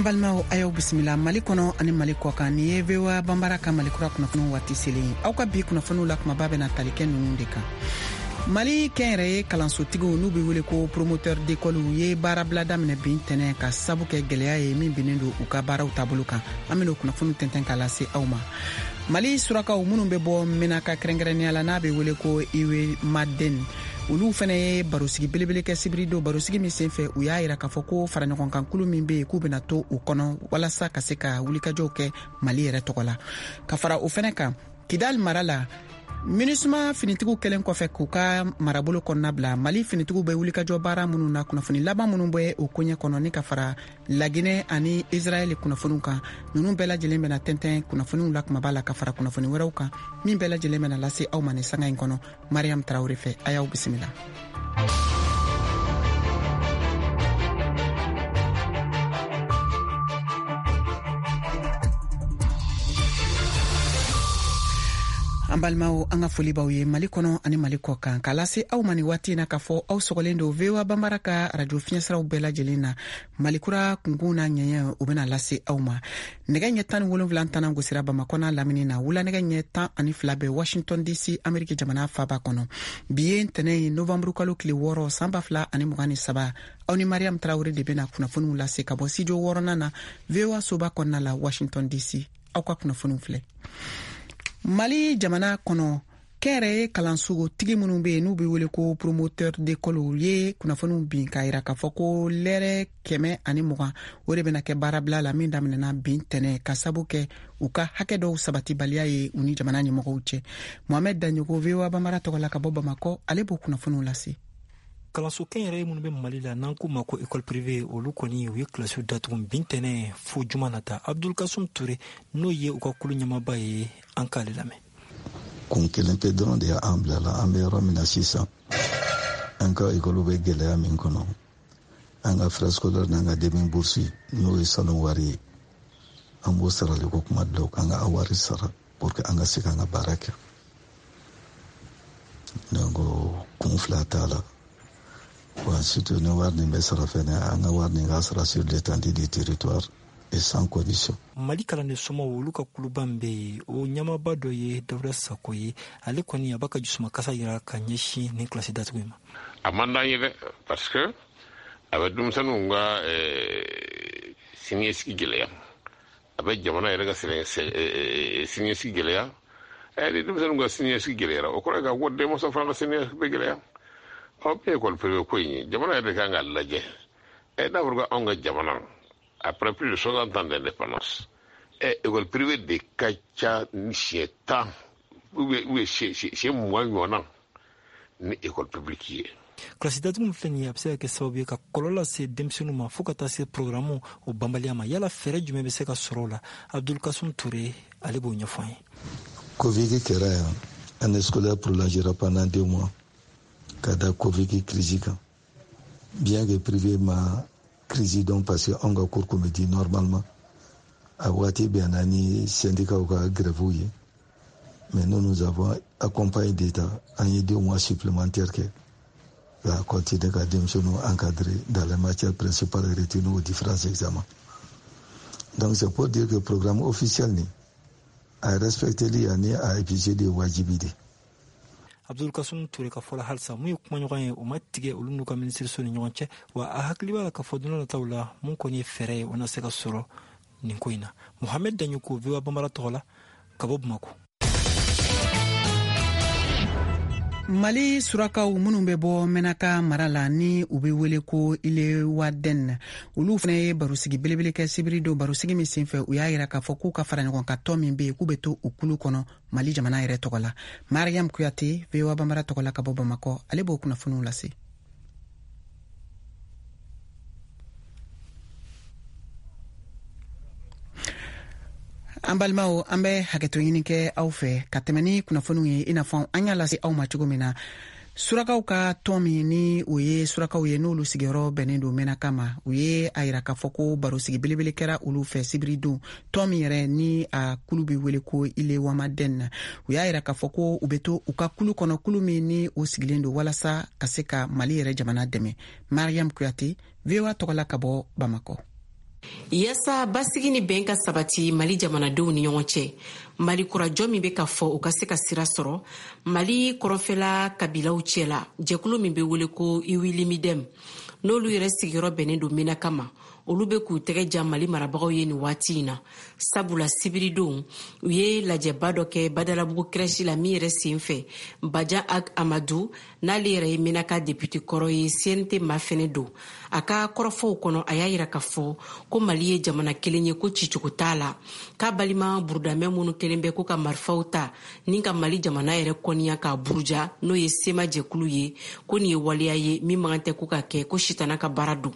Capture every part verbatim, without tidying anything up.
An balimaw, a y'aw bisimila Mali kɔnɔ ani Mali kɔ kan. Nin ye V O A Banbara ka Malikura kunnafoniw waati selen ye. Aw ka bi kunnafoniw la, kumaba bɛna tali kɛ ninnu de kan: Mali kɛnyɛrɛye kalansotigiw, n'u be wele ko promoteur d'école, ye baarabila daminɛ bi ntɛnɛ ka sabu kɛ gwɛlɛya ye min binnen don u ka baaraw taabolo kan. An ben'o kunnafoniw tɛntɛn k'a lase aw ma. Mali surakaw minnu bɛ bɔ Menaka, kɛrɛnkɛrɛnnenya la n'a be wele ko Iwemaden, olu fɛnɛ ye barosigi belebele kɛ sibiri don. Barosigi min sen fɛ, u y'a yira k'a fɔ ko faraɲɔgɔnkankulu min be yen, k'u bena to u kɔnɔ walasa ka se ka wulikajɔw kɛ Mali yɛrɛ tɔgɔ la. Ka fara o fɛnɛ kan, Kidal mara la, MINUSMA finitigiw kɛlen kɔfɛ k'u ka marabolo kɔnɔna bila, Mali finitigiw bɛ wulikajɔ baara minnu na, kunnafoni laban minnu bɛ o koɲɛ kɔnɔ, ni ka fara Laginɛ ani Israɛl kunnafoniw kan, ninnu bɛɛ lajɛlen bɛna tɛntɛn kunnafoniw la kumaba la, ka fara kunnafoni wɛrɛw kan min bɛɛ lajɛlen bɛna lase aw ma ni sanga in kɔnɔ Mariam Tarawure fɛ. A y'aw bisimila. An balimaw, an ka foli b'aw ye Mali kɔnɔ ani Mali kɔ kan, k'a lase aw ma ni waati na k'a fɔ aw sɔgɔlen don V O A Banbara ka radio fiɲɛsiraw bɛɛ lajɛlen na. Malikura kunkun n'a ɲɛɲɛ, o bena lase aw ma. Nɛgɛ ɲɛ tan ni wolonfila tana gosira Bamakɔ n'a lamini na, wula nɛgɛ ɲɛ tan ani fila bɛ Washington D C, Ameriki jamana faba kɔnɔ. Bi ye ntɛnɛ ye, novanburu kalo tile wɔɔrɔ, san ba fila ani mugan ni saba. Aw ni Mariam Tarawure de bena kunnafoniw lase ka bɔ studio wɔɔrɔnan na, V O A soba kɔnɔna la, Washington D C. Aw ka kunnafoniw filɛ: Mali jamana kɔnɔ, kɛnyɛrɛye kalanso-tigi minnu be yen n'u be wele ko promoteur d'école ye kunnafoniw bin k'a yira k'a fɔ ko lɛrɛ kɛmɛ ani mugan o de bena kɛ baarabila la min daminɛna bi ntɛnɛ, ka sabu kɛ u ka hakɛ dɔw sabatibaliya ye u ni jamana ɲɛmɔgɔw cɛ. Mohamɛd Daɲogo, V O A Banbara tɔgɔ la ka bɔ Bamakɔ, ale b'o kunnafoniw lase. Kalanso kɛnyɛrɛye minnu bɛ Mali la, n'an k'u ma ko école privée, olu kɔni u ye kilasiw datugu bi ntɛnɛ fo juma nata. Abdulkasum Ture, n'o ye u ka kulu ɲɛmaba ye, an k'ale lamɛn. Kun kelen pe dɔrɔn de y'an bila la. An bɛ yɔrɔ min na sisan, an ka ekɔliw bɛ gɛlɛya min kɔnɔ, an ka frais scolaire n'an ka demi bourse, n'o ye salon wari ye, an b'o sarali ko kuma dɔw, k'an ka wari sara pour que an ka se k'an ka baara kɛ. Donc kun fila t'a la wa. Surtout ni wari nin bɛ sara fɛnɛ, an ka wari nin ka sara sur l'étendue du territoire et sans condition. Mali kalanden somaw, olu ka kuluba min bɛ yen, o ɲɛmaba dɔ ye Dawuda Sako ye. Ale kɔni a b'a ka jusumakasa yira ka ɲɛsin nin kilasi datugu in ma. A man d'an ye dɛ, parce que a bɛ denmisɛnninw ka siniɲɛsigi gɛlɛya, a bɛ jamana yɛrɛ ka siniɲɛsigi gɛlɛya. Ni denmisɛnninw ka siniɲɛsigi gɛlɛyara, o kɔrɔ ye k'a fɔ denmansa fana ka siniɲɛsigi bɛ gɛlɛya. Ɔ min ye école privée ko in ye, jamana yɛrɛ de kan k'a lajɛ. Ɛ n'a fɔra ko anw ka jamana, après plus de soixante ans d'indépendance, ɛ école privée de ka ca ni siɲɛ tan ou bien siɲɛ mugan ɲɔgɔnna ni école publique ye. Kilasi datugu min filɛ nin ye, a bɛ se ka kɛ sababu ye ka kɔlɔlɔ lase denmisɛnninw ma, fo ka taa se programme o banbaliya ma. Yala fɛɛrɛ jumɛn bɛ se ka sɔrɔ o la? Abdulkasum Ture, ale b'o ɲɛfɔ an ye. Covid kɛra yan, année scolaire prolongera pendant deux mois ka da Covid crise kan. Bien que privé ma crise dɔn, parce que anw ka cours kun bɛ di normalement. A waati bɛnna ni syndicat ka grève ye, mais nous, nous avons accompagné d'État, an ye deux mois supplémentaires kɛ ka continuer ka denmisɛnninw encadrer dans les matières principales retenues aux différents examens. Donc c'est pour dire que programme officiel ni a respecteli ani a appliquer wajibi de. Abdulkasum Ture ka fɔla, halisa mun ye kumaɲɔgɔn ye, o ma tigɛ olu n'u ka minisiriso ni ɲɔgɔn cɛ. Wa a hakili b'a la k'a fɔ don nataw la, mun kɔni ye fɛɛrɛ ye, o na se ka sɔrɔ nin ko in na. Mohamɛd Daɲoko, V O A Banbara tɔgɔ la ka bɔ Bamako. Mali surakaw minnu bɛ bɔ Mɛnaka mara la, ni u bɛ wele ko Ilewaden, olu fana ye barosigi belebele kɛ sibiri don. Barosigi min senfɛ, u y'a yira k'a fɔ k'u ka fara ɲɔgɔn kan tɔn min bɛ yen, k'u bɛ to u kulu kɔnɔ Mali jamana yɛrɛ tɔgɔ la. Mariam Kuyate, V O A Banbara tɔgɔ la ka bɔ Bamakɔ, ale b'o kunnafoniw lase. An balimaw, an bɛ hakɛto ɲini kɛ aw fɛ ka tɛmɛ ni kunnafoniw ye. I n'a fɔ an y'a lase aw ma cogo min na, surakaw ka tɔn min ni o ye surakaw ye, n'olu sigiyɔrɔ bɛnnen don Mɛnaka ma, u ye a yira k'a fɔ ko barosigi belebele kɛra olu fɛ sibiri don. Tɔn min yɛrɛ ni a kulu bɛ wele ko Ilewamaden, u y'a yira k'a fɔ ko u bɛ to u ka kulu kɔnɔ, kulu min ni o sigilen don walasa ka se ka Mali yɛrɛ jamana dɛmɛ. Mariam Kuyate, V O A tɔgɔ la ka bɔ Bamakɔ. Yaasa basigi ni bɛn ka sabati Mali jamanadenw ni ɲɔgɔn cɛ, Mali kurajɔ min bɛ ka fɔ o ka se ka sira sɔrɔ Mali kɔrɔnfɛla kabilaw cɛla, jɛkulu min bɛ wele ko Iwilimidɛm, n'olu yɛrɛ sigiyɔrɔ bɛnnen don Menaka ma, olu bɛ k'u tɛgɛ ja Mali marabagaw ye nin waati in na. Sabula sibiridon u ye lajɛba dɔ kɛ Badalabugu crèche la min yɛrɛ sen fɛ Bajan Ag Amadu, n'ale yɛrɛ ye Menaka député kɔrɔ ye, C N T ma fɛnɛ don. A ka kɔrɔfɔw kɔnɔ, a y'a yira k'a fɔ ko Mali ye jamana kelen ye, ko cicogo t'a la, k'a balima burudamɛ minnu kelen bɛ ko ka marifaw ta ni ka Mali jamana yɛrɛ kɔniya k'a buruja, n'o ye SEMA jɛkulu ye, ko nin ye waleya ye min man kan tɛ ko ka kɛ, ko sitana ka baara don.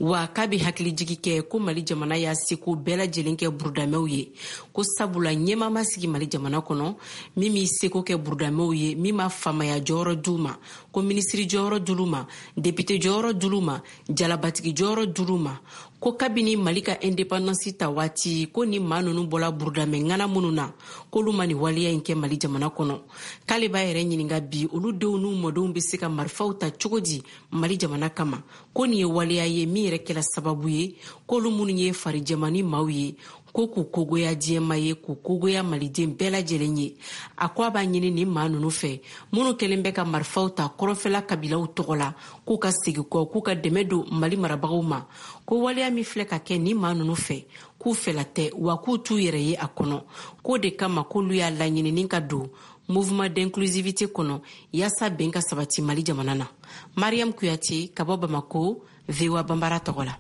Wa k'a bɛ hakilijigi kɛ ko Mali jamana y'a seko bɛɛ lajɛlen kɛ burudamɛw ye, ko sabula ɲɛmaa ma sigi Mali jamana kɔnɔ min b'i seko kɛ burudamɛw ye, min ma faamaya jɔyɔrɔ d'u ma, ko minisiri jɔyɔrɔ d'olu ma, député jɔyɔrɔ d'olu ma, jalabatigi jɔyɔrɔ d'olu ma, ko kabini Mali ka indépendance ta waati, ko ni maa ninnu bɔla burudamɛ ŋana minnu na, k'olu ma nin waleya in kɛ Mali jamana kɔnɔ. K'ale b'a yɛrɛ ɲininka bi, olu denw n'u mɔdenw bɛ se ka marifaw ta cogo di Mali jamana kama, ko nin ye waleya ye min yɛrɛ kɛla sababu ye k'olu minnu ye farijɛmani maaw ye, ko k'u kogoya diɲɛma ye, k'u kogoya maliden bɛɛ lajɛlen ye. A ko a b'a ɲini nin maa ninnu fɛ minnu kɛlen bɛ ka marifaw ta kɔrɔnfɛla kabilaw tɔgɔ la, k'u ka segin kɔ, k'u ka dɛmɛ don Mali marabagaw ma, ko waleya min filɛ ka kɛ nin maa ninnu fɛ, k'u fɛla tɛ, wa k'u t'u yɛrɛ ye a kɔnɔ. K'o de kama k'olu y'a laɲini ni ka don mouvement d'inclusivité kɔnɔ yaasa bɛn ka sabati Mali jamana na. Mariam Kuyate ka bɔ Bamako, V O A Banbara tɔgɔ la.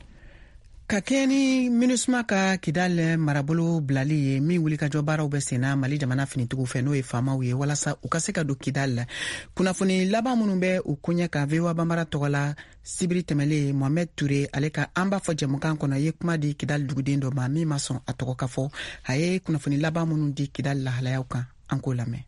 Ka kɛɲɛ ni MINUSMA ka Kidal marabolo bilali ye min wulikajɔ baaraw bɛ senna Mali jamana finitigiw fɛ, n'o ye faamaw ye, walasa u ka se ka don Kidal. Kunnafoni laban minnu bɛ u koɲɛ kan V O A Banbara tɔgɔ la sibiri tɛmɛlen, Mohamed Touré ale ka an b'a fɔ jɛmukan kɔnɔ ye kuma di Kidal duguden dɔ ma min ma sɔn a tɔgɔ ka fɔ. A ye kunnafoni laban minnu di Kidal lahalayaw kan, an k'o lamɛn.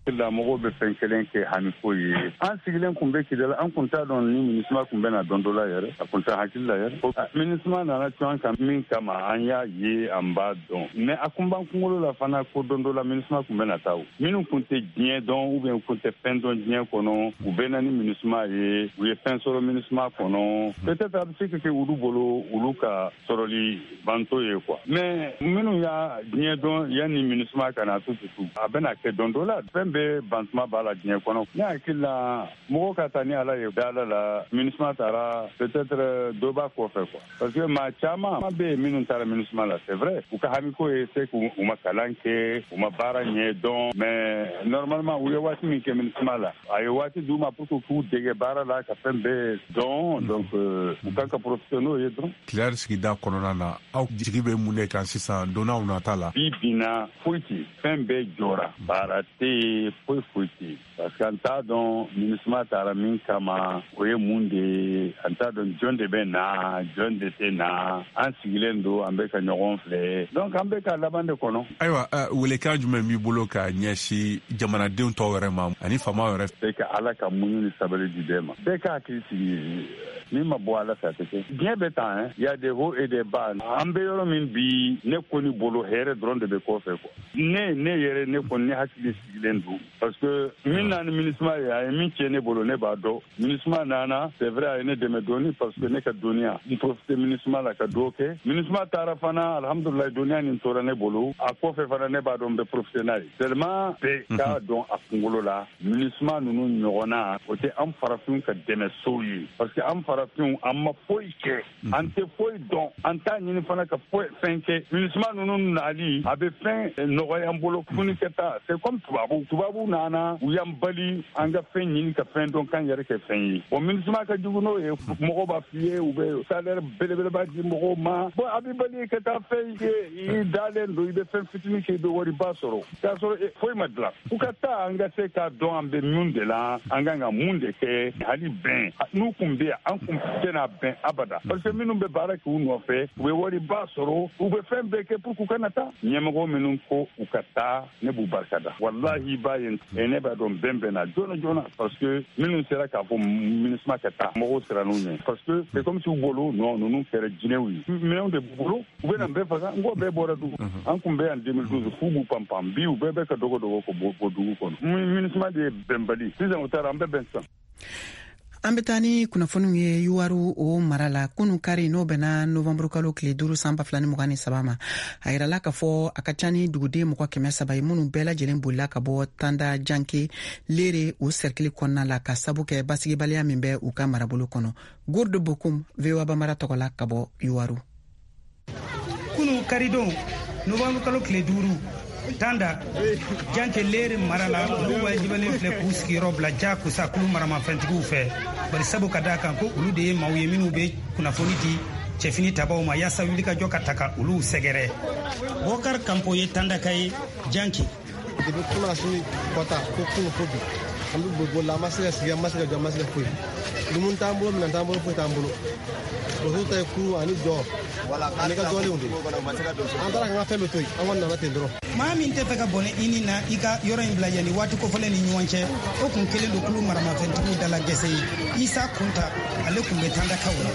La mɔgɔw bɛ fɛn kelen kɛ hamiko ye. An sigilen kun bɛ Kidal, an kun t'a dɔn ni MINUSMA kun bɛna don dɔ la yɛrɛ, a kun t'a hakili la yɛrɛ. MINUSMA nana cun an kan min kama, an y'a ye, an b'a dɔn, mais a kun b'an kunkolo la fana ko don dɔ la MINUSMA kun bɛna taa. O minnu kun tɛ diɲɛ dɔn ou bien kun tɛ fɛn dɔn diɲɛ kɔnɔ, u bɛ na ni MINUSMA ye, u ye fɛn sɔrɔ MINUSMA kɔnɔ, peut-être a bɛ se ka kɛ olu bolo olu ka sɔrɔli banto ye quoi. Mais minnu y'a diɲɛ dɔn yanni MINUSMA ka na tututu, a bɛna kɛ don dɔ la fɛn bɛ bantuma b'a la diɲɛ kɔnɔ. Ne hakili la mɔgɔ ka taa ni Ala ye da Ala la, MINUSMA taara peut-être dɔ b'a kɔfɛ quoi, parce que maa caman bɛ yen minnu taara MINUSMA la, c'est vrai u ka hamiko ye se k'u ma kalan kɛ, u ma baara ɲɛ dɔn, mais normalement u ye waati min kɛ MINUSMA la, a ye waati d'u ma pour que k'u dege baara la ka fɛn bɛɛ dɔn, donc u kan ka profiter n'o ye dɔrɔn. Kidal sigida kɔnɔna na, aw jigi bɛ mun de kan sisan donnaw nata la? Bi binna foyi tɛ, fɛn bɛɛ jɔra, baara tɛ yen, foyi foyi tɛ, parce que an t'a dɔn MINUSMA taara min kama, o ye mun de ye, an t'a dɔn jɔn de bɛ na, jɔn de tɛ na, an sigilen don, an bɛ ka ɲɔgɔn filɛ, donc an bɛ ka laban de kɔnɔ. Ayiwa, welekan jumɛn b'i bolo ka ɲɛsin jamanadenw tɔw yɛrɛ ma ani faamaw yɛrɛ? Bɛɛ ka Ala ka muɲu ni sabali di bɛɛ ma, bɛɛ ka hakili sigi, min ma bɔ Ala fɛ a tɛ kɛ. Diɲɛ bɛ tan, hein, y a des hauts et des bas. An bɛ yɔrɔ min bi, ne kɔni bolo hɛrɛ dɔrɔn de bɛ kɔfɛ quoi. Ne ne yɛrɛ ne kɔni ne hakili sigilen don, parce que min nana ni MINUSMA ye, a ye min tiɲɛ ne bolo, ne b'a dɔn. MINUSMA nana, c'est vrai a ye ne dɛmɛ dɔɔni, parce que ne ka dɔnniya n profite MINUSMA la ka dɔ kɛ. MINUSMA taara fana, alhamdulilayi, dɔnniya nin tora ne bolo. A kɔfɛ fana ne b'a dɔn n bɛ profite n'a ye. Seulement bɛɛ k'a dɔn a kunkolo la, MINUSMA ninnu ɲɔgɔnna o tɛ an farafinw ka dɛmɛsow ye, parce que an farafinw an ma foyi kɛ, an tɛ foyi dɔn, an t'a ɲini fana ka foyi fɛn kɛ. MINUSMA ninnu nali a bɛ fɛn nɔgɔya an bolo funi ka taa, c'est comme tubabu tubabu nana u y'an bali an ka fɛn ɲini ka fɛn dɔn k'an yɛrɛ kɛ fɛn ye. Bon, MINUSMA ka jugu n'o ye, mɔgɔw b'a f'i ye u bɛ salaire belebeleba di mɔgɔw ma, bon a b'i bali ka taa fɛn ye, i dalen don, i bɛ fɛn fitinin kɛ, i bɛ wariba sɔrɔ k'a sɔrɔ foyi ma dilan. U ka taa an ka se k'a dɔn an bɛ mun de la, an kan ka mun de kɛ, hali bɛn n'u kun bɛ yan an kun tɛna bɛn abada, parce que minnu bɛ baara kɛ u nɔfɛ u bɛ wariba sɔrɔ, u bɛ fɛn bɛɛ kɛ pour k'u kana taa. Ɲɛmɔgɔ minnu ko u ka taa, ne b'u barika da, walahi b'a ye, ne b'a dɔn bɛn bɛn na joona joona, parce que minnu sera k'a fɔ MINUSMA ka taa, mɔgɔw siran'u ɲɛ, parce que c'est comme si u bolo non ninnu kɛra jinɛw ye, minɛnw de b'u bolo, u bɛna bɛɛ faga. N ko bɛɛ bɔra dugu, an kun bɛ yan deux mille douze f'u b'u pan pan, bi u bɛɛ bɛ ka dogo dogo ko bɔ dugu kɔnɔ. MINUSMA de ye bɛnbali, sisan u taara an bɛɛ bɛn sisan. An bɛ taa ni kunnafoniw ye Youwarou o mara la. Kunu kari, n'o bɛnna novanburu kalo tile duuru san ba fila ni mugan ni saba ma, a yirala k'a fɔ a ka ca ni duguden mɔgɔ kɛmɛ saba ye minnu bɛɛ lajɛlen bolila ka bɔ Tanda Janke Lere o sɛrikili kɔnɔna la, ka sabu kɛ basigibaliya min bɛ u ka marabolo kɔnɔ. Gourde Bokum, V O A Bambara tɔgɔ la ka bɔ Youwarou. Kunu karidon, novanburu kalo tile duuru, Tanda Janke Lere mara la, olu wajibalen filɛ k'u sigiyɔrɔ bila jakosa kulu maramafɛntigiw fɛ, bari sabu ka da kan ko olu de ye maaw ye minnu bɛ kunnafoni di cɛfini tabaw ma yaasa wulikajɔ ka ta ka olu sɛgɛrɛ. Bɔkar Kanpo ye Tandaka ye Janke. Depuis kunasini kɔta ko kunu ko bi, an bɛ boli boli la, an ma se ka sigi, an ma se ka jɔ, an ma se ka foyi. Dumuni t'an bolo, minɛn t'an bolo, foyi t'an bolo. Musow ta ye kuru ani jɔ ani ka dɔɔninw de. An taara k'an ka fɛn bɛɛ to yen, an kɔni nana ten dɔrɔn. Maa min tɛ fɛ ka bɔnɛ i ni na i ka yɔrɔ in bila yanni waati kofɔlen ni ɲɔgɔn cɛ, o kun kelen don kulu maramafɛntigiw dala gɛsɛ ye. Isa Kunta, ale kun bɛ Tandakaw la.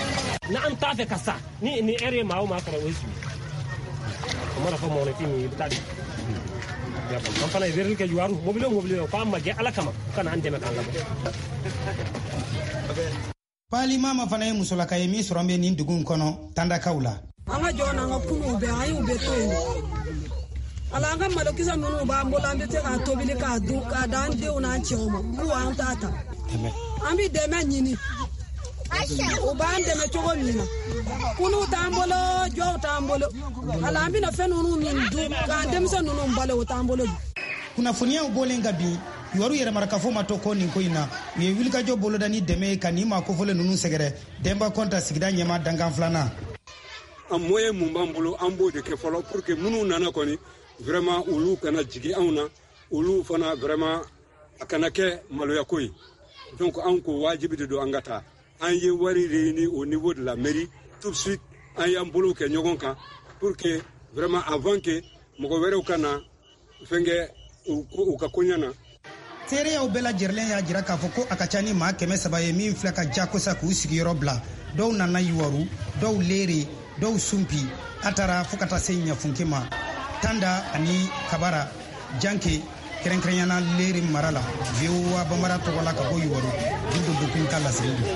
N'an t'a fɛ ka sa ni ni ɛri ye maa o maa sɔrɔ, o ye su o mana fɔ mɔgɔninfin min ye, i bɛ taa di. An fana ye weleli kɛ Youwarou mobili o mobili k'an ma jɛ Ala kama, u ka na an dɛmɛ k'an labɔ. Pali Mama fana ye musolaka ye min sɔrɔ bɛ nin dugu in kɔnɔ Tandakaw la. An ka jɔ n'an ka kunuw bɛɛ, an y'u bɛɛ to yen. Ala, an ka malokisɛ minnu b'an bolo, an bɛ se k'a tobili k'a dun k'a d'an denw n'an cɛw ma, k'u an t'a ta. An bɛ dɛmɛ ɲini, u b'an dɛmɛ cogo min na. Kunuw t'an bolo, jɔw t'an bolo. Ala, an bɛna fɛn ninnu min dun k'an denmisɛn ninnu balo, o t'an bolo bi. Kunnafoniyaw bɔlen ka bin, Youwarou yɛrɛmarakafo ma to kɔ nin ko in na. U ye wulikajɔ boloda ni dɛmɛ ye ka nin maa kofɔlen ninnu sɛgɛrɛ. Denba Kɔnta, sigida ɲɛma dankan filanan. An moyen mun b'an bolo, an b'o de kɛ fɔlɔ pour que minnu nana kɔni, vraiment olu kana jigin anw na, olu fana vraiment a kana kɛ maloyako ye. Donc an ko wajibi de don an ka taa. An ye wari réuni au niveau de la mairie tout de suite, an y'an bolo kɛ ɲɔgɔn kan pour que vraiment avant que mɔgɔ wɛrɛw ka na fɛn kɛ u ka koɲɛ na. Seereyaw bɛɛ lajɛrɛlen y'a jira k'a fɔ ko a ka ca ni maa kɛmɛ saba ye min filɛ ka jakosa k'u sigiyɔrɔ bila. Dɔw nana Youwarou, dɔw Lere, dɔw Sunpi, a taara fo ka taa se Ɲafunke ma, Tanda ani Kabara Janke, kɛrɛnkɛrɛnyana Lere mara la. V O A Bambara tɔgɔ la ka bɔ Youwarou, Guindo Bokun ka laseli don.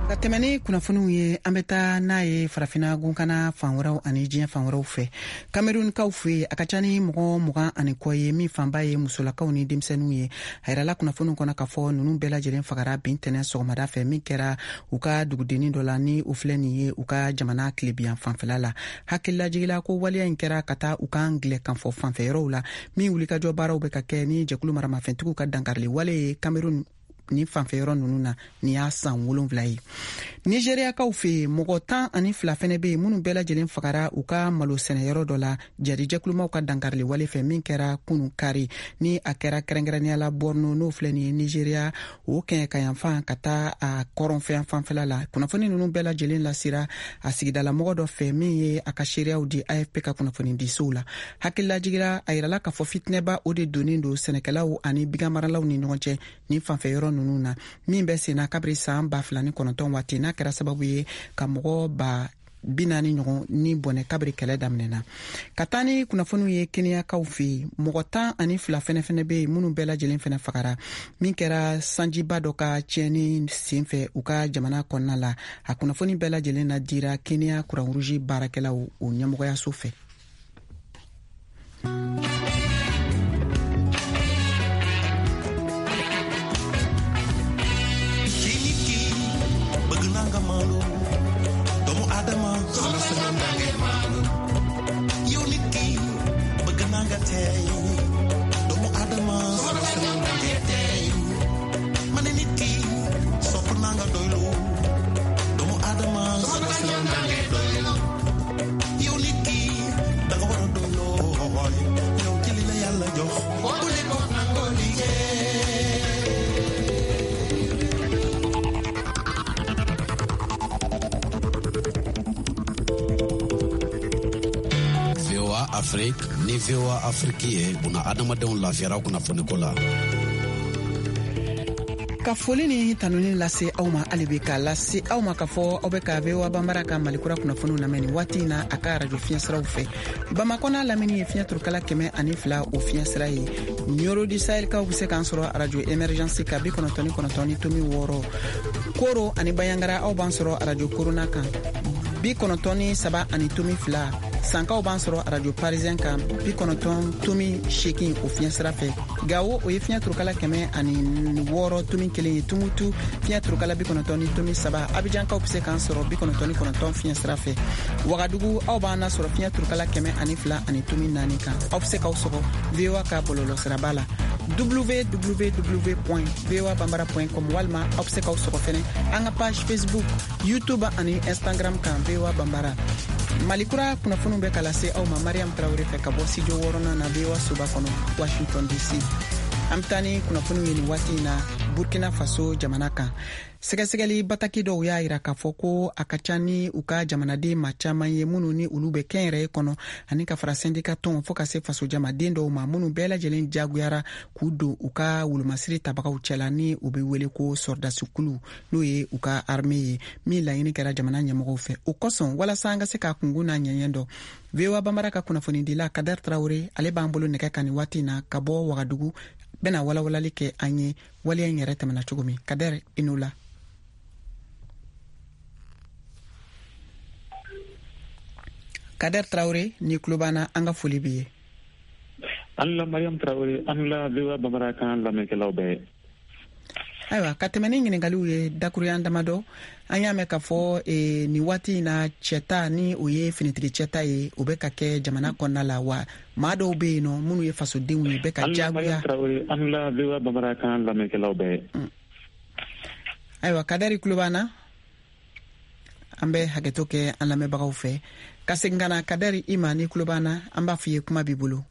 Ka tɛmɛ ni kunnafoniw ye, an bɛ taa n'a ye Farafina gunkana fan wɛrɛw ani diɲɛ fan wɛrɛw fɛ. Kamerunkaw fɛ yen, a ka ca ni mɔgɔ mugan ani kɔ ye min fanba ye musolakaw ni denmisɛnninw ye. A yirala kunnafoniw kɔnɔ k'a fɔ ninnu bɛɛ lajɛlen fagara bi ntɛnɛn sɔgɔmada fɛ min kɛra u ka dugudennin dɔ la, ni o filɛ nin ye u ka jamana tilebiyan fanfɛla la. Hakililajigila ko waleya in kɛra ka taa u ka angilɛ kanfɔ fanfɛ yɔrɔw la, min wulikajɔ baaraw bɛ ka kɛ ni jɛkulu maramafɛntigiw ka dankarili wale ye Kamerun ni fanfɛ yɔrɔ ninnu na, nin y'a san wolonfila ye. Nizeriyakaw fɛ yen, mɔgɔ tan ani fila fɛnɛ bɛ yen minnu bɛɛ lajɛlen fagara u ka malo sɛnɛyɔrɔ dɔ la jarijɛkulumaw ka dankarili wale fɛ min kɛra kunu kari, ni a kɛra kɛrɛnkɛrɛnnenya la Borno, n'o filɛ nin ye Nizeriya o kɛɲɛkayanfan ka taa a kɔrɔnfɛn fanfɛla la. Kunnafoni ninnu bɛɛ lajɛlen lasira a sigidalamɔgɔ dɔ fɛ min ye a ka seereyaw di A F P ka kunnafoni disow la. Hakililajigira, a yirala k'a fɔ fitinɛba o de donnen don sɛnɛkɛlaw ani baganmaralaw ni ɲɔgɔn cɛ nin fanfɛ yɔrɔ ninnu na, min bɛ senna kabiri san ba fila ni kɔnɔntɔn waati, n'a kɛra sababu ye ka mɔgɔ ba bi naani ɲɔgɔn ni bɔnɛ kabiri kɛlɛ daminɛna. Ka taa ni kunnafoniw ye Keniyakaw fɛ yen, mɔgɔ tan ani fila fɛnɛ fɛnɛ bɛ yen minnu bɛɛ lajɛlen fɛnɛ fagara min kɛra sanjiba dɔ ka tiɲɛni sen fɛ u ka jamana kɔnɔna la. A kunnafoni bɛɛ lajɛlen na dira Keniya Croix-Rouge baarakɛlaw o ɲɛmɔgɔyaso fɛ. Nga maandu doomu aadama, sama sañoon da ngay maandu. Yow nit ki, bëgg naa nga teey. Doomu aadama, sama sañoon da ngay teey. Ma ne nit ki, sopp naa nga doylu. Doomu aadama, sama sañoon da ngay doylu. Yow nit ki, da nga war a doyloo. Yow ci li la Yàlla jox, bu leen ko nangoo liggéey. V O A Afrique ni V O A Afrique ye buna adamadenw lafiyara kunnafoniko la. Ka foli ni tanuni lase aw ma hali bi, k'a lase aw ma k'a fɔ aw bɛ ka V O A Banbara ka Malikura kunnafoniw lamɛn nin waati in na a ka arajo fiɲɛsiraw fɛ. Bamakɔ n'a lamini ye fiɲɛ turukala kɛmɛ ani fila o fiɲɛsira ye. Nioro du Sahelkaw bɛ se k'an sɔrɔ arajo Émergence ka bi kɔnɔntɔn ni kɔnɔntɔn ni tomi wɔɔrɔ. Koro ani Bayangara, aw b'an sɔrɔ arajo Korona kan bi kɔnɔntɔn ni saba ani tomi fila. Sankaw b'an sɔrɔ arajo Parisien kan bi kɔnɔntɔn tomi seegin o fiɲɛsira fɛ. Gawo, o ye fiɲɛ turukala kɛmɛ ani wɔɔrɔ tomi kelen ye. Tumutu, fiɲɛ turukala bi kɔnɔntɔn ni tomi saba. Abijankaw bɛ se k'an sɔrɔ bi kɔnɔntɔn ni kɔnɔntɔn fiɲɛsira fɛ. Wagadugu, aw b'an nasɔrɔ fiɲɛ turukala kɛmɛ ani fila ani tomi naani kan. Aw bɛ se k'aw sɔgɔ V O A ka bɔlɔlɔsiraba la, W W W point voa bambara point com, walima aw bɛ se k'aw sɔgɔ fɛnɛ an ka page Facebook, YouTube ani Instagram kan, V O A Bambara. Malikura kunnafoniw bɛ ka lase aw ma Mariam Tarawele fɛ ka bɔ studio wɔɔrɔnan na, V O A soba kɔnɔ, Washington D C. An bɛ taa ni kunnafoniw ye nin waati in na Burkina Faso jamana kan. Sɛgɛsɛgɛli bataki dɔw y'a yira k'a fɔ ko a ka ca ni u ka jamanaden ma caaman ye minnu ni olu bɛ kɛnyɛrɛye kɔnɔ, ani ka fara sɛndika tɔnw fɔɔ ka se fasojamaden dɔw ma, minnu bɛɛ lajɛlen jagoyara k'u don u ka wolomasiri tabagaw cɛla ni u be wele ko sɔrɔdasikulu, n'o ye u ka armée ye, min laɲini kɛra jamana ɲɛmɔgɔw fɛ. O kosɔn, walasa an ka se k'a kungun n'a ɲɛɲɛ dɔn, V O A Banbara ka kunnafonidila Kader Tarawure, ale b'an bolo nɛgɛ kan nin waati na ka bɔ Wagadugu, bɛna walawalali kɛ an ye waleya in yɛrɛ tɛmɛna cogo min. Kader, i n'o la. Kader Tarawure, ni tulo b'an na, an ka foli b'i ye. An la Mariam Tarawele, an la V O A Bambara kan lamɛnkɛlaw bɛɛ. Ayiwa, ka tɛmɛ ni ɲiningaliw ye dakuruyan damadɔ, an y'a mɛn k'a fɔ e, nin waati in na, cɛta ni o ye finitigi cɛta ye, o bɛ ka kɛ jamana kɔnɔna la wa, maa dɔw bɛ yen nɔ minnu ye fasodenw ye, bɛ ka jagoya. An la V O A Bambara kan lamɛnkɛlaw bɛɛ. Ayiwa, Kadari tulo b'an na, an bɛ hakɛto kɛ an lamɛnbagaw fɛ ka segin ka na. Kadari, i ma, ni tulo b'an na, an b'a f'i ye, kuma b'i bolo.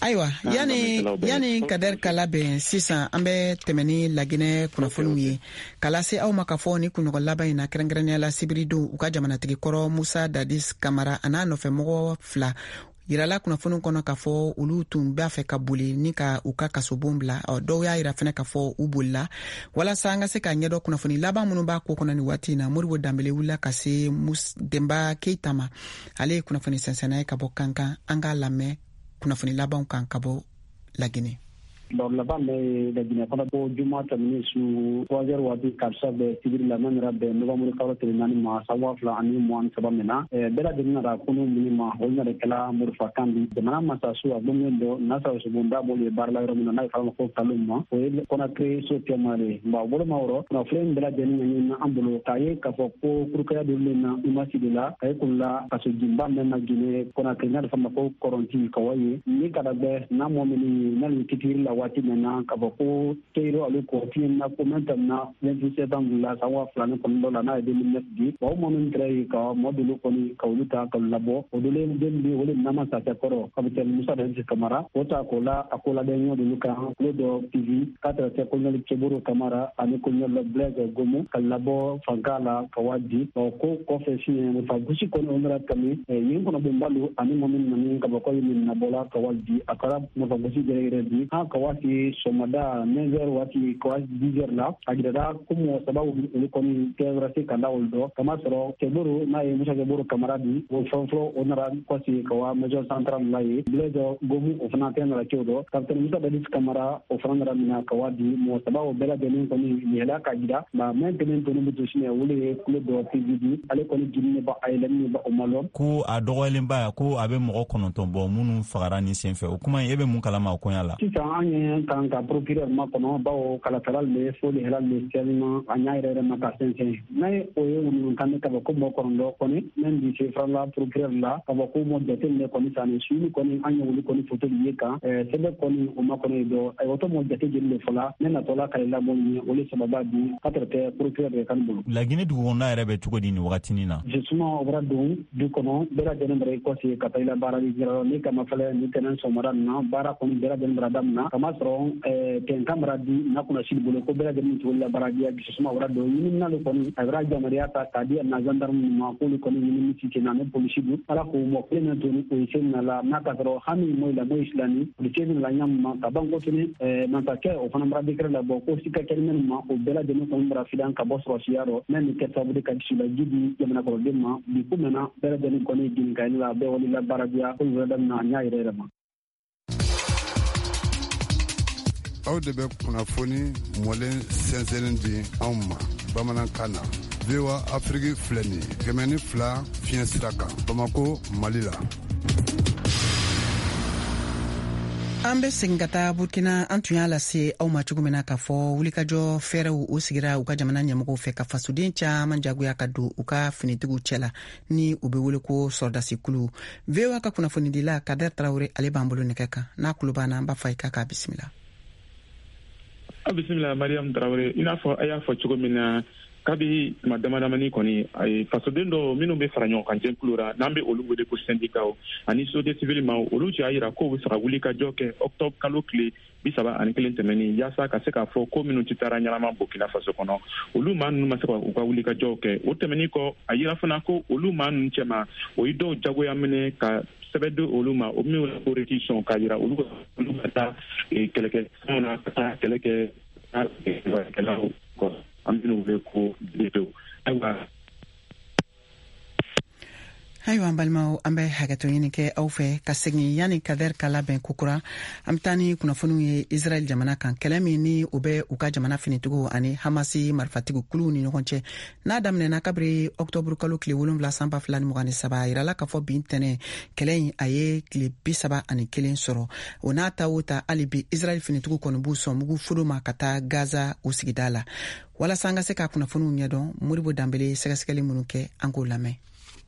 Ayiwa, yani yani Kader ka labɛn sisan, an bɛ tɛmɛ ni Laginɛ kunnafoniw ye ka lase aw ma k'a fɔ ni kunɲɔgɔn laban in na, kɛrɛnkɛrɛnnenya la sibiridon, u ka jamanatigi kɔrɔ Musa Dadis Kamara a n'a nɔfɛmɔgɔ fila yirala kunnafoniw kɔnɔ k'a fɔ olu tun b'a fɛ ka boli ni ka u ka kasobon bila. Dɔw y'a yira fɛnɛ k'a fɔ u bolila. Walasa an ka se k'a ɲɛdɔn kunnafoni laban minnu b'a ko kɔnɔ nin waati in na, Moribo Danbele wulila ka se Denba Keita ma, ale ye kunnafoni sɛnsɛnna ye ka bɔ Kankan. An k'a lamɛn kunnafoni labanw kan ka bɔ Laginɛ. Baro laban bɛ Laginɛ kɔnɔ ko juma tɛmɛnen su trois heures waati karisa bɛ sibiri la, n'an yɛrɛ bɛn novembre kalo tile naani ma san waa fila ani mugan ni saba min na, bɛɛ lajɛlen nana kunu minnu ma, olu nana kɛla marifakan di jamana masasu a gbɔngɛn dɔ nasa sobonda b'olu ye baara la yɔrɔ min na, n'a ye fɔ a ma ko kalo ma, o ye Kɔnakiri so tɛma de ye. Nka o bolo ma wɔrɔ kunnafoni bɛɛ lajɛlen ɲɛɲini an bolo k'a ye k'a fɔ ko kurukaya dɔ le na imasi de la a ye kunla kasojinba mɛn na Ginɛ Kɔnakiri, n'a bɛ fɔ a ma ko kɔrɔnti kawa ye ni ka gbɛ n'a mɔ minnu ye n'ale kitiri la waati min na k'a fɔ ko teyiro ale kɔ fiɲɛ na ko mɛn tɛmɛna vingt-huit septembre la san waa fila ni kɔnɔntɔn la, n'a ye deux mille neuf di wa, o mɔ min kɛra yen ka mɔ dolu kɔni ka olu ta ka labɔ o dolu den bi o le nama sasɛ kɔrɔ capitaine Musa Dadis Kamara o ta k'o la a ko labɛn ɲɔ dolu kan kulo dɔ P V k'a tɛrɛ tɛ colonel Cɛboro Kamara ani colonel Blaise Gomo ka labɔ fanka la ka waa di ɔ ko kɔfɛ siɲɛ marifa gosi kɔni o nana tɛmɛ yen kɔnɔ bonbalu ani mɔ min nani ka bɔ k'olu min nabɔla ka waa di a kɛra marifa gosi yɛrɛ yɛrɛ di an ka waati sɔgɔmada neuf heures waati ka waati dix heures la, a jirala ko mɔgɔ saba olu kɔni kɛra se ka da olu dɔ kama sɔrɔ Cɛboro n'a ye Musa Cɛboro Kamara di o fɔlɔ fɔlɔ, o nana kɔsi ka wa maison centrale la ye. Blaise Gomu o fana tɛ nana cɛw dɔ capitaine Musa Dadis Kamara o fana nana minɛ ka waa di mɔgɔ saba o bɛɛ lajɛlen kɔni yɛlɛ ka jira nka mɛn kelen tɔnɔ bɛ to sini o le ye kulo dɔ P V di ale kɔni jini ba a yɛlɛmini ba o ma lɔn. Ko a dɔgɔyalenba ko a bɛ mɔgɔ kɔnɔntɔn bɔ minnu fagara nin senfɛ, o kuma in, e bɛ mun kalama o koɲa la? Sisan an ye kan ka procureur makɔnɔ bawo kalatala le fo le hɛrɛ le sɛlima a ɲa yɛrɛ yɛrɛ ma ka sɛnsɛn n'a ye o ye wulukan ka bɔ ko mɔgɔ kɔnɔntɔn kɔni min bi se farala procureur la ka bɔ ko mɔ jate minɛ kɔni sanni suuli kɔni an ye wuli kɔni foto ye kan sɛbɛn kɔni o ma kɔnɔ dɔ ayiwa to mɔ jate jeli le fɔla ne natɔla ka lamɔ ye o le sababa di ka tɛrɛ tɛ procureur de kan bolo. Laginɛ dugukɔnɔna yɛrɛ bɛ cogo di nin wagatinin na? Justement, o bɔra don du kɔnɔ bɛɛ lajɛlen bara i kɔsi ka taa i la baara ni jira ni kama fɛlɛ ni tɛnɛn sɔgɔmada nin na, baara kɔni bɛɛ lajɛlen bara daminɛ kama. masɔrɔ tɛnkan bara di na kunnasili bolo ko bɛɛ lajɛlen cogo la baara diya dususuma wara dɔ ɲininina le kɔni a bɛra jamariya ta k'a di na gendarme ma k'olu kɔni ɲinini ci na ni polisi du ala k'o mɔ kelen na toni o ye se na la n'a ka sɔrɔ hami mo la mo islami polisi la ɲam ma ka ban ko tuni masakɛ o fana bara décret la bɔ ko sika kɛli minnu ma o bɛɛ lajɛlen kɔni bara filan ka bɔ sɔrɔsiya rɔ n'a ni kɛ sababu de ka dusu la ji di jamana kɔnɔden ma bi ko mɛnna bɛɛ lajɛlen kɔni jinikali la bɛɛ wali la baara diya ko wɛrɛ daminɛ a ɲa yɛrɛ yɛrɛ ma. Aw de bɛ kunnafoni mɔlen sɛnsɛnnen di anw ma bamanankan na. V O A Afrique filɛ nin ye kɛmɛ ni fila fiɲɛ sira kan Bamako, Mali la. An bɛ segin ka taa Burkina. An tun y'a lase aw ma cogo min na k'a fɔ wulikajɔ fɛɛrɛw o sigira u ka jamana ɲɛmɔgɔw fɛ ka fasoden caman jagoya ka don u ka finitigiw cɛ la ni u bɛ wele ko sɔrɔdasikulu. V O A ka kunnafonidila Kader Traoré, ale b'an bolo nɛgɛ kan. N'a kulo b'an na, an b'a fɔ a ye k'a k'a bisimila. A bisimila Mariam Traoré. I n'a fɔ a y'a fɔ cogo min na, kabi tuma dama damani kɔni, a ye fasoden dɔw minnu bɛ fara ɲɔgɔn kan jɛkulu la, n'an bɛ olu wele ko syndicats ani société civile maaw, olu y'a yira k'o bɛ fɛ ka wuli ka jɔ kɛ octobre kalo tile bi saba ani kelen tɛmɛnen, yaasa ka se k'a fɔ ko minnu tɛ taara ɲɛnama Burkina Faso kɔnɔ, olu maa ninnu ma se ka u ka wuli ka jɔw kɛ. O tɛmɛnen kɔ, a yira fana ko olu maa ninnu cɛma, o ye dɔw jagoya minɛ ka sɛbɛn di olu ma, o min wele ko réquisition, k'a yira olu olu ka taa kɛlɛkɛ fɛnw na, ka taa kɛlɛ kɛ kɛlaw kɔ, an bɛn'u wele ko D P O. Ayiwa Ayiwa, an balimaw, an bɛ hakɛto ɲini kɛ aw fɛ ka segin yanni Kader ka labɛn kokura. An bɛ taa ni kunnafoniw ye Israɛl jamana kan, kɛlɛ min ni o bɛ u ka jamana finitigiw ani Hamasi marifatigiw kuluw ni ɲɔgɔn cɛ, n'a daminɛna kabiri ɔktɔburu kalo tile wolonwula san ba fila ni mugan ni saba. A yirala k'a fɔ bi ntɛnɛn kɛlɛ in a ye tile bi saba ani kelen sɔrɔ. O n'a ta o ta, hali bi Israɛl finitigiw kɔni b'u sɔn mugu fodo ma ka taa Gaza o sigida la. Walasa an ka se ka kunnafoniw ɲɛdɔn, Modibo Danbele ye sɛgɛsɛgɛli minnu kɛ, an k'o lamɛn.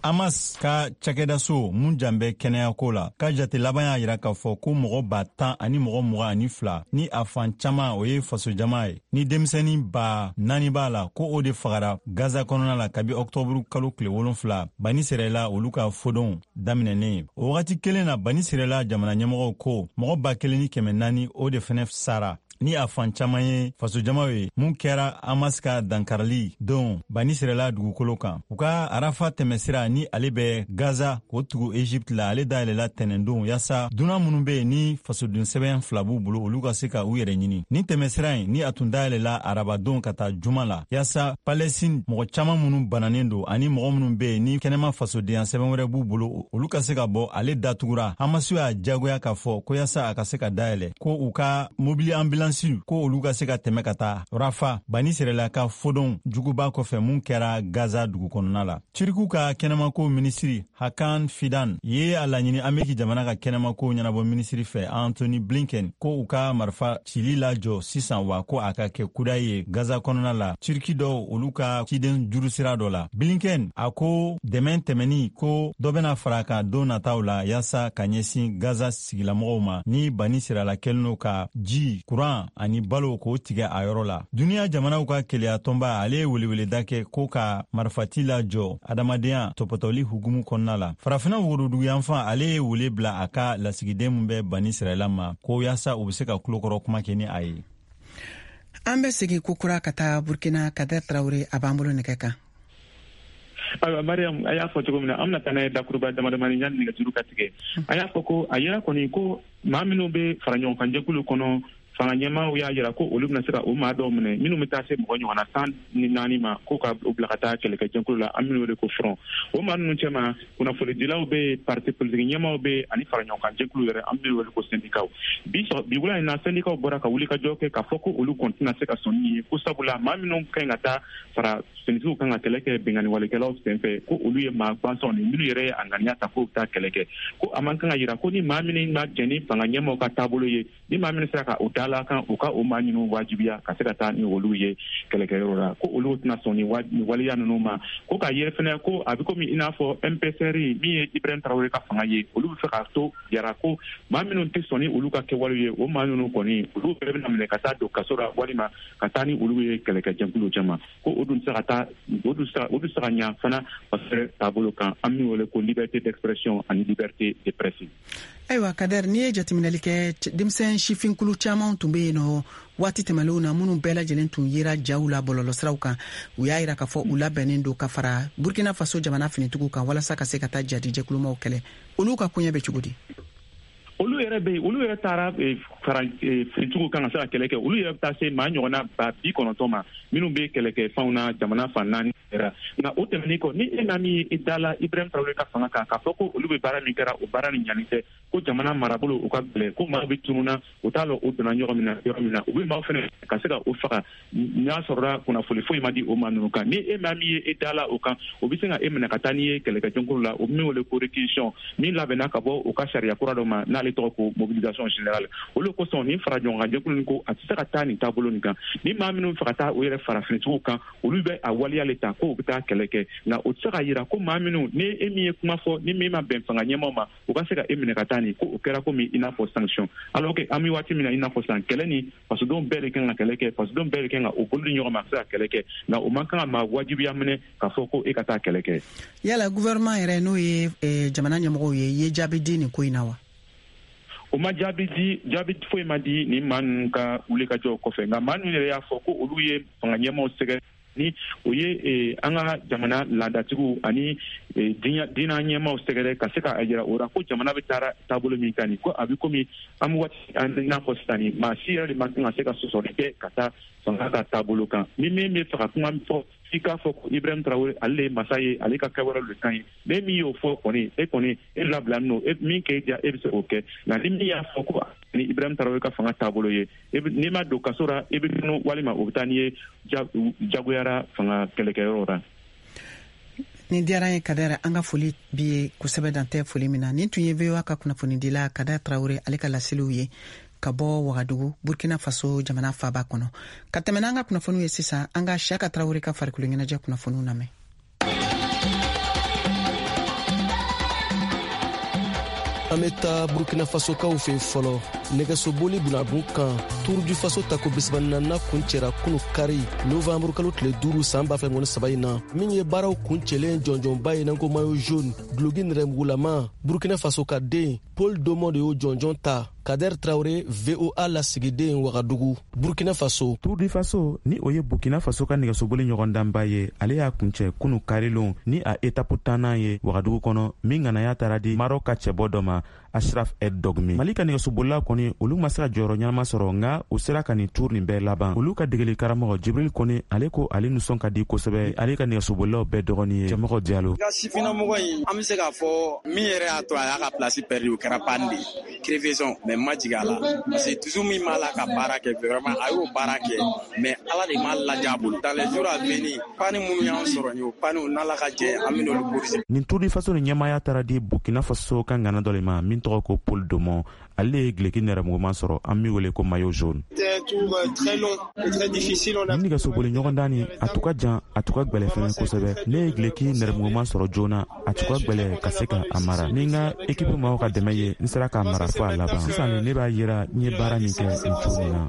Hamas ka cakɛdaso mun jan bɛ kɛnɛyako la ka jate laban y'a yira k'a fɔ ko mɔgɔ ba tan ani mɔgɔ mugan ani fila, ni a fan caman o ye fasojama ye, ni denmisɛnnin ba naani b'a la, ko o de fagara Gaza kɔnɔna la kabi ɔktɔburu kalo tile wolonfila Bani Sirɛla olu ka fodonw daminɛnen. O wagati kelen na, Bani Sirɛla jamana ɲɛmɔgɔw ko mɔgɔ ba kelen ni kɛmɛ naani o de fɛnɛ sara, ni a fan caman ye fasojamaw ye, mun kɛra Hamas ka dankarili don Bani Sirɛla dugukolo kan. U ka Arafa tɛmɛsira ni ale bɛ Gaza k'o tugu Egypte la, ale dayɛlɛla tɛnɛndon yaasa dunan minnu be yen ni fasoden sɛbɛn fila b'u bolo, olu ka se ka u yɛrɛ ɲini. Ni tɛmɛsira in ni a tun dayɛlɛla arabadon ka taa juma la, yaasa Palestine mɔgɔ caman minnu bananen don ani mɔgɔ minnu be yen ni kɛnɛma fasodenya sɛbɛn wɛrɛ b'u bolo, olu ka se ka bɔ, ale datugura. Hamas y'a jagoya k'a fɔ ko yaasa a ka se ka dayɛlɛ, ko u ka mobili ambulance ko olu ka se ka tɛmɛ ka taa Rafa, Bani Sirɛla ka fodon juguba kɔfɛ mun kɛra Gaza dugu kɔnɔna la. Tiriku ka kɛnɛmako minisiri Hakan Fidan ye a laɲini Ameriki jamana ka kɛnɛmako ɲɛnabɔ minisiri fɛ Anthony Blinken ko u ka marifa cili lajɔ sisan, wa ko a ka kɛ kuda ye Gaza kɔnɔna la Turki dɔw olu ka ciden jurusira dɔ la. Blinken a ko dɛmɛ tɛmɛni ko dɔ bɛna fara kan don nataw la yaasa ka ɲɛsin Gaza sigilamɔgɔw ma, ni Bani Sirɛla kɛlen don ka ji, kuran ani balo k'o tigɛ a yɔrɔ la. Duniya jamanaw ka keleya tɔnba ale ye weleweleda kɛ ko ka marifati lajɔ adamadenya tɔpɔtɔli hukumu kɔnɔna la. Farafinna woroduguyanfan ale ye wele bila a ka lasigiden min bɛ Bani Sirɛla ma, ko yaasa u be se ka tulokɔrɔ kuma kɛ ni a ye. An bɛ segin kokura ka taa Burkina. Kader Traoré a b'an bolo nɛgɛ kan. Ayiwa Mariam, a y'a fɔ cogo min na, an bɛna taa n'a ye dakuruba damadamani yanni nɛgɛjuru ka tigɛ. A y'a fɔ ko a yira kɔni ko maa minnu bɛ fara ɲɔgɔn kan jɛkulu kɔnɔ, fanga ɲɛmaaw y'a yira ko olu bɛna se ka o maa dɔw minɛ minnu bɛ taa se mɔgɔ ɲɔgɔnna tan ni naani ma, ko ka u bila ka taa kɛlɛkɛjɛkulu la, an minnu wele ko front. O maa ninnu cɛma, kunnafonidilaw bɛ yen, parti politique ɲɛmaaw bɛ yen, ani fara ɲɔgɔn kan jɛkulu yɛrɛ, an minnu wele ko syndicats. Bi bi wula in na, syndicats bɔra ka wuli ka jɔ kɛ k'a fɔ ko olu kɔni tɛna se ka sɔn ni ye, ko sabula maa minnu ka ɲi ka taa fara finitigiw kan ka kɛlɛ kɛ binkanni walekɛlaw senfɛ, ko olu ye maa gansanw de minnu yɛrɛ ye a ŋaniya ta k'u bɛ taa kɛlɛ kɛ, ko a man kan ka yira ko ni maa minnu ma jɛn ni fanga ɲɛmaaw ka taabolo ye, ni maa minnu sera ka o da la kan, u ka o maa ninnu wajibiya ka se ka taa ni olu ye kɛlɛkɛyɔrɔ la, ko olu tɛna sɔn ni waleya ninnu ma. Ko k'a yɛrɛ fɛnɛ ko a bɛ komi i n'a fɔ M P C R min ye Ibrahim Traoré ka fanga ye, olu bɛ fɛ k'a to yara ko maa minnu tɛ sɔn ni olu ka kɛwalew ye, o maa ninnu kɔni olu bɛɛ bɛna minɛ ka taa don kaso la walima ka taa ni olu ye kɛlɛkɛjɛkulu caman, ko o dun tɛ se ka taa, o dun tɛ se ka ɲa fana parce que taabolo kan, an min wele ko liberté d'expression ani liberté de presse. Ayiwa Kader, n'i ye jateminɛli kɛ, denmisɛn sifinkulu caman tun bɛ yen nɔ waati tɛmɛnlenw na, minnu bɛɛ lajɛlen tun yera jaw la bɔlɔlɔsiraw kan. U y'a yira k'a fɔ u labɛnnen don ka fara Burkina Faso jamana finitigiw kan walasa ka se ka taa jadi jɛkulumaw kɛlɛ. Olu ka koɲɛ bɛ cogo di? Olu yɛrɛ bɛ yen, olu yɛrɛ taara fara finitigiw kan ka se ka kɛlɛ kɛ. Olu yɛrɛ bɛ taa se maa ɲɔgɔnna ba bi kɔnɔntɔn ma minnu bɛ kɛlɛkɛ fanw na jamana fan naani yɛrɛ. Nka o tɛmɛnen kɔ, ni e maa min ye i da la Ibrahim Traoré ka fanga kan k'a fɔ ko olu bɛ baara min kɛra, o baara nin ɲani tɛ, ko jamana marabolo u ka gɛlɛn, ko maaw bɛ tunun na, u t'a lɔn o donna ɲɔgɔn min na yɔrɔ min na, u bɛ maaw fɛnɛ ka se ka o faga n'a sɔrɔla kunnafoni foyi ma di o maa ninnu kan. Ni e maa min ye e da la o kan, o bɛ se ka e minɛ ka taa n'i ye kɛlɛkɛjɛkulu la, o min wele ko réquisition, min labɛnna ka bɔ u ka sariya kura dɔ ma n'ale tɔgɔ ko mobilisation générale. Olu kosɔn nin fara ɲɔgɔn kan jɛkulu nin ko a tɛ se ka taa nin taabolo nin kan. Ni maa minnu fɛ ka taa o yɛrɛ fara finitigiw kan, olu bɛ a waleya le ta ko u bɛ taa kɛlɛ kɛ. Nka o tɛ se ka yira ko maa minnu ni e min ye kuma fɔ ni min ma bɛn fanga ɲɛmaaw ma, u ka se ka e minɛ ka taa nin ko o kɛra komi i n'a fɔ sanction. Alors que an bɛ waati min na i n'a fɔ sisan, kɛlɛ ni fasodenw bɛɛ de kan ka kɛlɛ kɛ, fasodenw bɛɛ de kan ka o bolo di ɲɔgɔn ma ka se ka kɛlɛ kɛ. Nka o man kan ka maa wajibiya minɛ k'a fɔ ko e ka taa kɛlɛ kɛ. Yala gouvernement yɛrɛ, n'o ye jamana ɲɛmɔgɔw ye, ye jaabi di nin ko in na wa? O ma jaabi di, jaabi foyi ma di nin maa ninnu ka wulikajɔw kɔfɛ. Nka maa ninnu yɛrɛ y'a fɔ ko olu ye fanga ɲɛmaaw sɛgɛrɛ ni o ye an ka jamana laadatigiw ani diinɛ ɲɛmaaw sɛgɛrɛ ka se k'a jira o la ko jamana bɛ taa taabolo min kan nin, ko a bɛ komi an bɛ waati i n'a fɔ sisan nin, maa si yɛrɛ de man kan ka se ka sɔsɔli kɛ ka taa fanga ka taabolo kan. Ni min bɛ fɛ ka kuma fɔ, f'i k'a fɔ ko Ibrahim Traoré ale de ye masa ye, ale ka kɛwalew de ka ɲi. Ne min y'o fɔ kɔni, e kɔni e labilalen don, e min k'e diya e bɛ se k'o kɛ. Nka ni min y'a fɔ ko ni Ibrahim Traoré ka fanga taabolo ye, n'i ma don kaso la i bɛ tunu walima o bɛ taa n'i ye jagoyara fanga kɛlɛkɛyɔrɔ la. Nin diyara n ye Kader, an ka foli b'i ye kosɛbɛ, dan tɛ foli min na. Nin tun ye V O A ka kunnafonidila Kader Traoré ale ka laseliw ye ka bɔ Wagadugu, Burkina Faso jamana faaba kɔnɔ. Ka tɛmɛ n'an ka kunnafoniw ye sisan, an ka Siaka Traoré ka farikolo ɲɛnajɛ kunnafoniw lamɛn. An bɛ taa Burkina Fasokaw fɛ fɔlɔ. Nɛgɛsoboli bunagun kan, Tour du Faso tako bisaba ni naaninan kuncɛra kunu kari novanburu kalo tile duuru san ba fila mugan ni saba in na, min ye baaraw kuncɛlen jɔnjɔnba ye n'an ko maillot jaune, duloki nɛrɛmugulama. Burkina Faso ka den Paul Domon de y'o jɔnjɔn ta. Kader Traoré, V O A lasigiden Wagadugu, Burkina Faso. Tour du Faso ni o ye Burkina Faso ka nɛgɛsoboli ɲɔgɔndanba ye, ale y'a kuncɛ kunu karilon ni a etapu tannan ye Wagadugu kɔnɔ, min ŋanaya taara di Maroc ka cɛbɔ dɔ ma, Ashraf Ed Dogmi. Mali ka nɛgɛsobolila kɔni, olu ma se ka jɔyɔrɔ ɲɛnama sɔrɔ, nka u sera ka nin tour nin bɛɛ laban. Olu ka degeli karamɔgɔ Jibril Kone, ale ko ale nisɔn ka di kosɛbɛ ale ka nɛgɛsobolilaw bɛɛ dɔgɔnin ye Cɛmɔgɔ Diallo. Ka sifinnamɔgɔ in, an bɛ se k'a fɔ min yɛrɛ y'a to a y'a ka place perdu, o kɛra panne de ye, crevaison. Mais ma jigin a la parce que dusu min b'a la ka baara kɛ, vraiment a y'o baara kɛ, mais Ala de m'a lajɛ a bolo. Dans les jours à venir, panne minnu y'an sɔrɔ nin ye, o panne n'Ala ka jɛ, an bɛ n'olu corriger. Nin Tour du Faso ni ɲɛmaaya taara di Burkina Faso ka ŋana dɔ le ma min tɔgɔ ko Paul Domon. Ale ye gileki nɛrɛmuguman sɔrɔ, an min wele ko maillot jaune. Nin nɛgɛsoboli ɲɔgɔndan nin, a tun ka jan, a tun ka gwɛlɛ fɛnɛ kosɛbɛ. Ne ye gileki nɛrɛmuguman sɔrɔ joona, a tun ka gwɛlɛ ka se ka a mara. Ni n ka ekipu maaw ka dɛmɛ ye, n sera k'a mara fo a laban. Sisan ne b'a yira n ye baara min kɛ nin cogo min na.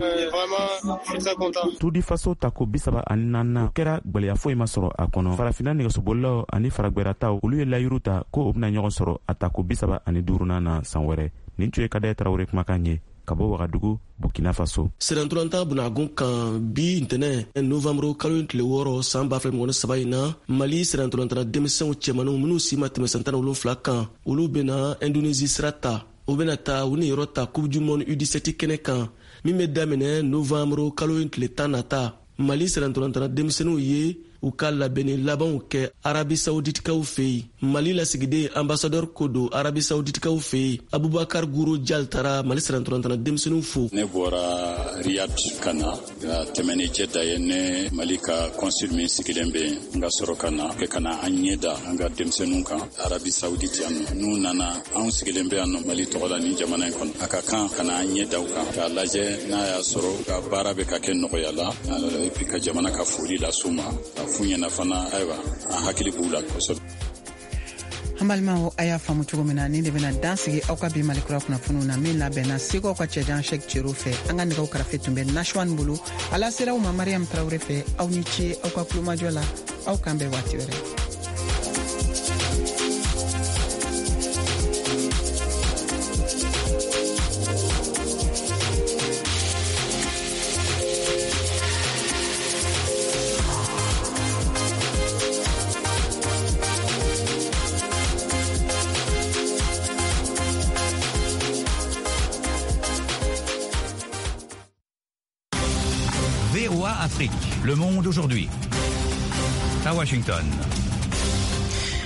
Tour du Faso tako bisaba ani naaninan kɛra gwɛlɛya foyi ma sɔrɔ a kɔnɔ. Farafinna nɛgɛsobolilaw ani faragwɛrɛtaw, olu ye layiru ta ko u bɛna ɲɔgɔn sɔrɔ a tako bisaba ani duurunan na san wɛrɛ. Nin tun ye Kader Traoré kumakan ye ka bɔ Wagadugu, Burkina Faso. Sirantolatan bunagun kan bi ntɛnɛn novanburu kalo tile wɔɔrɔ san ba fila mugan ni saba in na, Mali sirantolatan denmisɛnw cɛmaninw minnu si ma tɛmɛ san tan ni wolonfila kan, olu bɛna Indonésie sira ta. U bɛna taa u niyɔrɔ ta Coupe du monde U dix-sept kɛnɛ kan min bɛ daminɛ novanburu kalo tile tan nata. Mali sirantolatan denmisɛnninw ye u ka labɛnni labanw kɛ Arabi Saouditikaw fɛ yen. Mali lasigiden ambassadeur ko don Arabi Saouditikaw fɛ yen, Abubakar Guro Jal taara Mali sirantolatan denmisɛnninw fo. Ne bɔra Riyad ka na ka tɛmɛ ni Jɛda ye, ne Mali ka consul min sigilen bɛ yen, n ka sɔrɔ ka na kɛ ka na an ɲɛ da an ka denmisɛnninw kan Arabi Saoudite yan nɔ. N'u nana, anw sigilen bɛ yan nɔ Mali tɔgɔ la nin jamana in kɔnɔ. A ka kan ka na an ɲɛ da u kan k'a lajɛ n'a y'a sɔrɔ u ka baara bɛ ka kɛ nɔgɔya la, et puis ka jamana ka foli las'u ma. F'u ɲɛna fana, ayiwa, an hakili b'u la kosɛbɛ. An balimaw, a y'a faamu cogo min na, nin de bɛna dan sigi aw ka bi Malikura kunnafoniw na min labɛnna Segukaw ka cɛjan Sɛk Cero fɛ. An ka nɛgɛw karafe tun bɛ Nashwan bolo, a lasera aw ma Mariam Traoré fɛ. Aw ni ce aw ka kulomajɔ la, aw k'an bɛn waati wɛrɛ. Afrique, Le Monde aujourd'hui. À Washington.